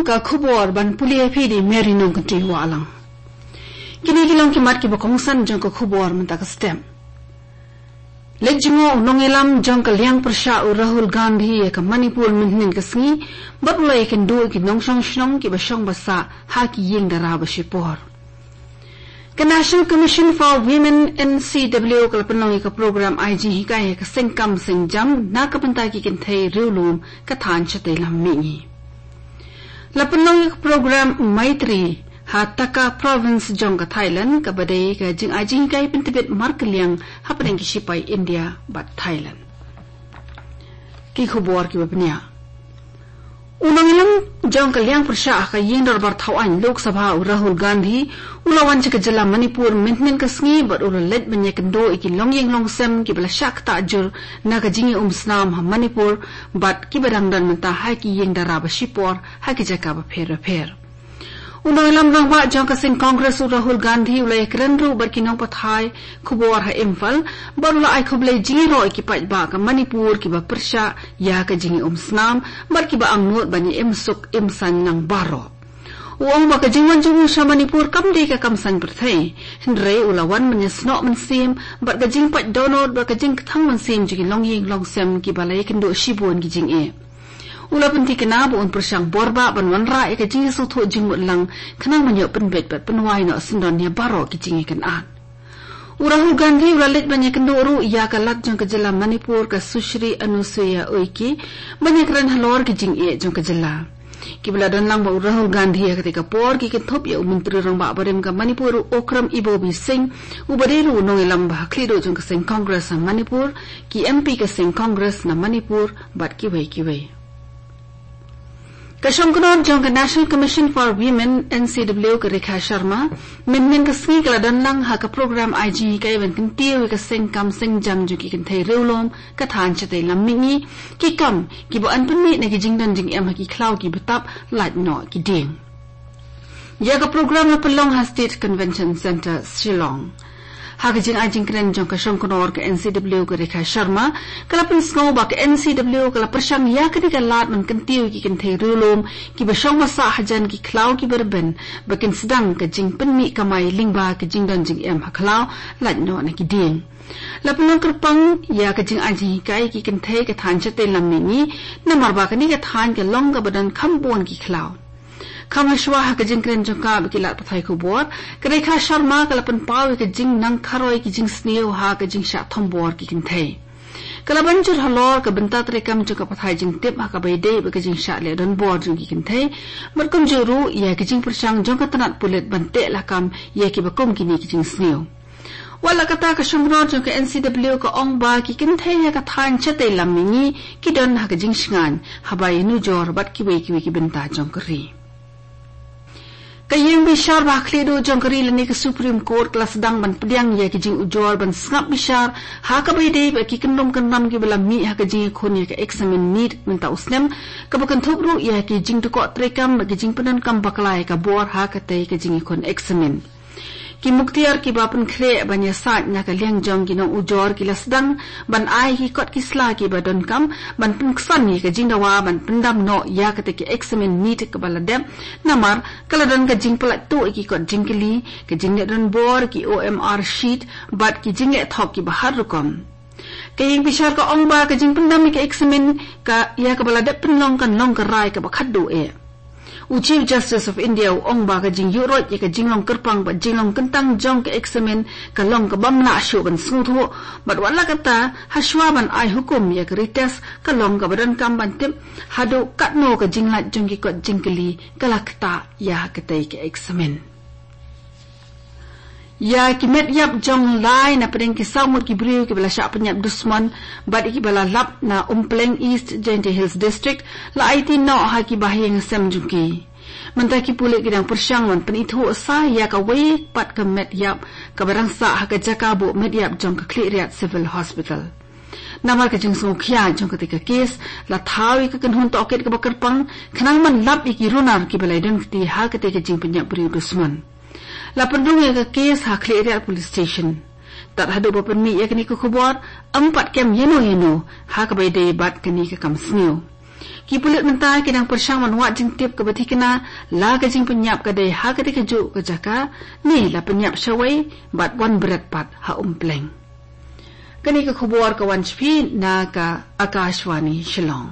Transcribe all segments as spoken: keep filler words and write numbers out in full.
Ka khubor ban pule phi da i Mary Nongkynrih Wahlang. Kine ki long ki mat kiba kongsan jong ka khubor mynta ka step. Leit jngoh u nongïalam jong ka liang pyrshah u Rahul Gandhi ïa ka Manipur mynhynnin ka sngi, bad u la ïakynduh ïa ki nongshong shnong kiba shong ba sah ha ki ïing dara ba shipor. Ka National Commission for Women, N C W, ka la pynlong ïa ka program ai jinghikai ïa ka seng kam seng jam na ka bynta ki kynthei riewlum ka thaiñ shatei lam mihngi. La pynlong ïa ka program Maitri ha Taka Province jong ka Thailand, kaba dei ka jingai jinghikai pyntbit markylliang hapdeng ki shipai India bad Thailand. Ki khubor kiba bniah. U nongïalam jong ka liang pyrshah ha ka ïing dorbar thaw aiñ Lok Sabha u Rahul Gandhi u la wan sha ka jylla Manipur mynhynnin ka sngi bad u la leit ban ïakynduh ïa ki longïing longsem kiba la shah ktah jur na ka jingïaumsnam ha Manipur bad kiba dang don mynta ha ki ïing dara ba shipor ha ki jaka bapher bapher. U nongïalam rangbah jong ka seng Congress u Rahul Gandhi u la ïakren ruh bad ki nongpathai khubor ha Imphal, bad u la ai khublei jingïaroh ïa ki paidbah ka Manipur kiba pyrshah ïa ka jingïaumsnam bad kiba angnud ban ïa im suk im saiñ lang baroh. U ong ba ka jingwan jong u sha Manipur kam dei ka kam saiñ pyrthei, hynrei u la wan ban ïasnoh mynsiem bad ka jingpait dohnud bad ka jingkthang mynsiem jong ki longïing longsem kiba la ïakynduh shibun ki jingeh. U la pynthikna ba un pyrshang bor bah ban wanrah ïa ka jingïasngewthuh jingmut lang, khnang ban ïoh pynbeit bad pynwai noh syndon ïa baroh ki jingïakynad. U Rahul Gandhi u la leit ban ïakynduh ruh ïa ka Lat jong ka jylla Manipur ka Sushri Anusuiya Uikey ban ïakren halor ki jingeh jong ka jylla. Kiba la don lang bad u Rahul Gandhi ha katei ka por ki kynthup ïa u Myntri Rangbah barim ka Manipur u Okram Ibobi Singh, uba dei ruh u nongïalam ba ha khlieh duh jong ka seng Congress ha Manipur, ki M P ka seng Congress na Manipur bad kiwei kiwei. Ka shongknor jong ka National Commission for Women, N C W, ka Rekha Sharma mynhynnin ka sngi ka la don lang ha ka program ai jinghikai ban kyntiew ïa ka seng kam seng jam jong ki kynthei riewlum ka thaiñ shatei lam mihngi, ki kam kiba yn pynmih na ki jingdon jingem ha ki khlaw kiba tap, lait noh ki dieng. Ïa ka program la pynlong ha State Convention Centre, Shillong. Ha ka jingai jingkren jong ka shongknor ka N C W ka Rekha Sharma, ka la pynsngew ba ka N C W ka la pyrshang ïa kane ka lad ban kyntiew ïa ki kynthei riewlum kiba shong ba sah hajan ki khlaw kiba rben ba kin sdang ka jingpynmih kamai lyngba ka jingdon jingem ha khlaw, lait noh na ki dieng. La pynlong kyrpang ïa ka jingai jinghikai ïa ki kynthei ka thaiñ shatei lam mihngi, namar ba kane ka thaiñ ka long kaba don kham bun ki khlaw. Kham hashwa ha ka jingkren jong ka bad ki lad pathai khubor, ka Rekha Sharma ka la pynpaw ïa ka jingnang kharoi ki jingsniew ha ka jingshah thombor ki kynthei. Ka la ban jur halor ka bynta treikam jong ka pathai jingtip ha kaba ïadei bad ka jingshah leh donbor jong ki kynthei, bad kumjuh ruh ïa ka jingpyrshang jong ka tnat pulit ban teh lakam ïa kiba kum kine ki jingsniew. Wat la katta, ka shongknor jong ka N C W ka ong ba ki kynthei ha ka thaiñ shatei lam mihngi ki don ha ka jingshngaiñ haba ïanujor bad kiwei kiwei ki bynta jong ka ri. Ka ïing bishar ba ha khlieh duh jong ka ri lane ka Supreme Court ka la sdang ban pdiang ïa ki jingujor ban sngap bishar ha kaba ïadei bad ki kyndrum kyndam kiba la mih ha ka jingïakhun ïa ka eksamin NEET mynta u snem, kaba kynthup ruh ïa ki jingdukok treikam bad ki jingpyndonkam bakla ïa ka bor ha katei ka jingïakhun eksamin. Ki muktiar kiba pynkhreh ban ïasaid na ka liang jong ki nongujor ki la sdang ban ai ki kot ki sla kiba donkam ban pynksan ïa ka jingdawa ban pyndam noh ïa katei ka eksamin NEET kaba la dep, namar ka la don ka jingpyllait tuh ïa ki kot jingkylli, ka jingleh donbor, ki O M R sheet bad ki jingleh thok kiba har rukom. Ka ïing bishar ka ong ba ka jingpyndam ïa ka eksamin ka ïa kaba la dep pynlong kan long ka rai kaba khatduh eh. U Chief Justice of India u ong ba ka jingïuhroit ïa ka jinglong kyrpang bad jinglong kyntang jong ka eksamin ka long kabym lah shuh ban sngewthuh, bad wat la katta, hashwa ban ai hukum ïa ka retest ka long kaba donkam ban tip haduh katno ka jinglait jong ki kot jingkylli ka la ktah ïa katei ka eksamin. Ïa ki met ïap jong lai na pdeng ki saw ngut ki briew kiba la shah pynïap dusmon bad ïa kiba la lap na Umpleng, East Jaintia Hills District, la aiti noh ha ki bahaïing hasem jong ki. Mynta ki pulit ki dang pyrshang ban pynithuh sa ïa kawei pat ka met ïap kaba dang sah ha ka jaka buh met ïap jong ka Khliehriat Civil Hospital. Namar ka jingsngewkhia jong katei ka kes, la thaw ïa ka kynhun tohkit kaba kyrpang khnang ban lap ïa ki runar kiba la ïadon kti ha katei ka jingpynïap briew dusmon. La pynrung ïa ka kes ha Khliehriat Police Station. Tad haduh ba pynmih ïa kane ka khubor, ym pat kem ïano ïano ha kaba ïadei bad kane ka kam sniew. Ki pulit mynta ki dang pyrshang ban wad jingtip kaba thikna la ka jingpynïap ka dei ha katei kajuh ka jaka ne la pynïap shawei bad wan bret pat ha Umpleng. Kane ka khubor ka wan sha phi na ka Akashvani Shillong.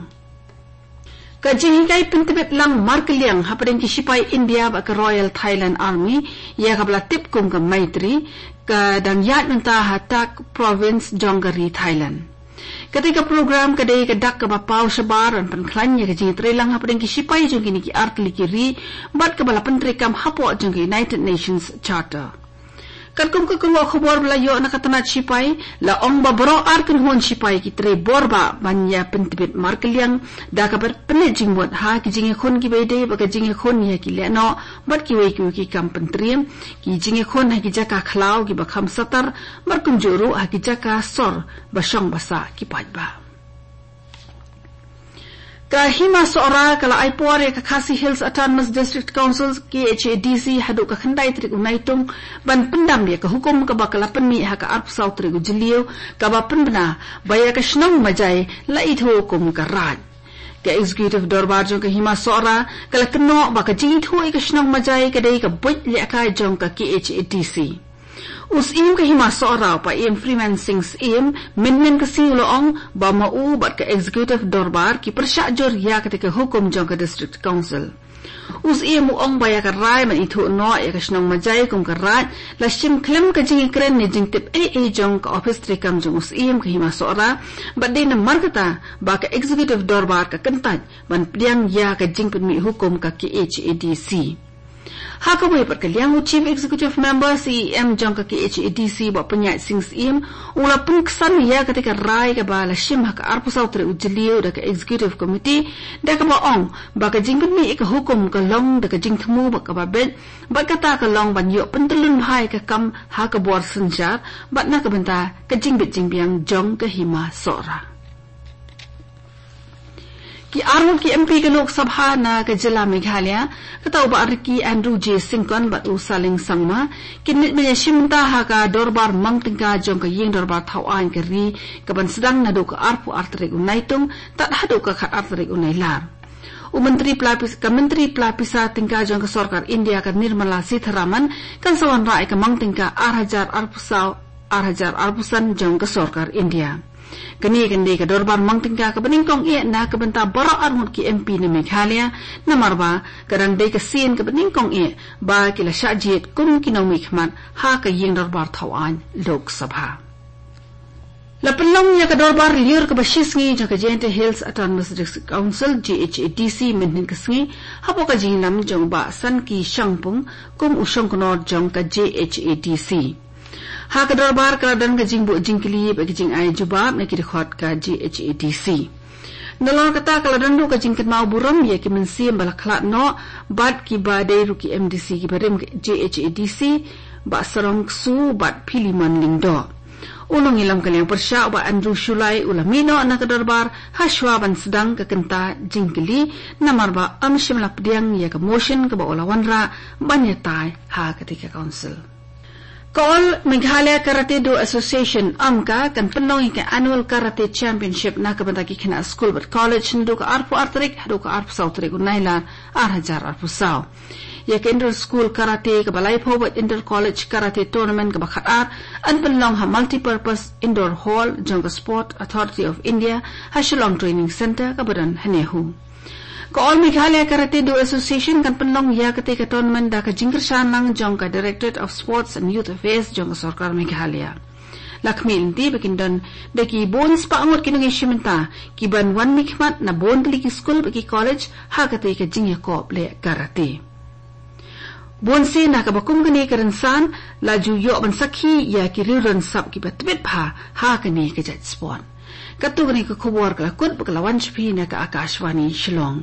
Ka jinghikai pyntbit lang markylliang hapdeng ki shipai India bad ka Royal Thailand Army, ïa kaba la tip kum ka Maitri, ka dang ïaid mynta ha Tak Province jong ka ri Thailand. Katei ka program ka dei ka dak kaba paw shabar ban pynkhlaiñ ïa ka jingïatreilang hapdeng ki shipai jong kine ki artylli ki ri bad kaba la pyntreikam hapoh jong ka United Nations Charter. Katkum ka kyrwoh khubor ba la ïoh na ka tnat shipai, la ong ba baroh ar kynhun shipai ki trei bor bah ban ïa pyntbit markylliang da kaba pynleit jingmut ha ki jingïakhun kiba ïadei bad ka jingïakhun ïa ki lehnoh bad kiwei kiwei ki kam pyntriem, ki jingïakhun ha ki jaka khlaw kiba kham satar bad kumjuh ruh ha ki jaka sor ba shong ba sah ki paidbah. Ka Hima Sohra ka la ai por ïa ka Khasi Hills Autonomous District Council, K H A D C, haduh ka khyndai tarik u Naitung ban pyndam ïa ka hukum kaba ka la pynmih ha ka arphew saw tarik u Jylliew, kaba pynbna ba ïa ka shnong Majai la ithuh kum ka Raid. Ka Executive Dorbar jong ka Hima Sohra ka la kynnoh ba ka jingithuh ïa ka shnong Majai ka dei ka buit lehkai jong ka K H A D C. U Syiem ka Hima Sohra, u Paiem Freeman Singh Syiem, mynhynnin ka sngi u la ong ba ma u bad ka Executive Dorbar ki pyrshah jur ïa katei ka hukum jong ka District Council. U Syiem u ong ba ïa ka rai ban ithuh noh ïa ka shnong Majai kum ka Raid la shim khlem ka jingïakren ne jingtip ei ei jong ka ophis treikam jong u Syiem ka Hima Sohra, bad dei namar kata ba ka Executive Dorbar ka kyntait ban pdiang ïa ka jingpynmih hukum ka K H A D C. Ha kawei pat ka liang, u Chief Executive Member, C E M, jong ka K H A D C, Bah Pynïaid Singh Syiem, u la pynksan ïa katei ka rai kaba la shim ha ka arphew saw tarik u Jylliew da ka Executive Committee, da kaba ong ba ka jingpynmih ïa ka hukum ka long da ka jingthmu bad kaba beit, bad kata ka long ban ïoh pyntyllun bha ïa ka kam ha ka bor synshar bad na ka bynta ka jingbit jingbiang jong ka Hima Sohra. Ki arngut ki M P ka Lok Sabha na ka jylla Meghalaya, kata u Bah Ricky Andrew J Syngkon bad u Saleng Sangma, kin leit ban ïashim bynta ha ka dorbar mang tyngka jong ka Ïing Dorbar Thawaiñ ka ri, kaban sdang naduh ka arphew ar tarik u Naitung tad haduh ka khatar tarik u Nailar. U Myntri Pla Pis-, ka Myntri Pla Pisa Tyngka jong ka Sorkar India ka Nirmala Sitharaman kan sa wanrah ïa ka mang tyngka ar hajar arphew saw, ar hajar arphew san jong ka Sorkar India. Kane kan dei ka dorbar mang tyngka kaba nyngkong eh na ka bynta baroh arngut ki M P na Meghalaya, namar ba ka dang dei ka sien kaba nyngkong eh ba ki la shah jied kum ki nongmihkhmat ha ka Ïing Dorbar Thawaiñ Lok Sabha. La pynlong ïa ka dorbar lyiur kaba shisngi jong ka Jaintia Hills Autonomous District Council, J H A D C, mynhynnin ka sngi, hapoh ka jingïalam jong u Bah Sanki Shangpung kum u shongknor jong ka J H A D C. Ha ka dorbar ka la don ka jingbuh jingkylli bad ka jingai jubab na ki dkhot ka J H A D C. Nalor kata ka la don ruh ka jingkynmaw burom ïa ki mynsiem ba la khlad noh bad kiba dei ruh ki M D C kiba rim ka J H A D C, Bah Sarong Ksu bad Philemon Lyngdoh. U nongïalam ka liang pyrshah, u Bah Andrew Shullai, u la mih noh na ka dorbar hashwa ban sdang ka kynta jingkylli, namar ba ym shym la pdiang ïa ka motion kaba u la wanrah ban ïatai ha katei ka council. Ka All Meghalaya Karate Do Association, AMKA, kan pynlong ïa ka Annual Karate Championship na ka bynta ki khynnah skul bad college naduh ka arphew ar tarik haduh ka arphew saw tarik u Nailar ar hajar arphew saw. Ïa ka Inter School Karate kaba laiphew bad Inter College Karate Tournament kaba khatar yn pynlong ha Multipurpose Indoor Hall jong ka Sport Authority of India ha Shillong Training Centre kaba don ha NEHU. Ka All Meghalaya Karate Do Association kan pynlong ïa katei ka tournament da ka jingkyrshan lang jong ka Directorate of Sports and Youth Affairs jong ka Sorkar Meghalaya. La khmih lynti ba kin don da ki bun spah ngut ki nongïashim bynta kiban wan mihkhmat na bun tylli ki skul bad ki college ha katei ka jingïakop leh karate. Bunsien na kaba kum kane ka rynsan la ju ïoh ban sakhi ïa ki riew don sap kiba tbit bha ha kane ka jait sport. Katto katne ka khubor ka la kut bad ka la wan sha phi na ka Akashvani Shillong.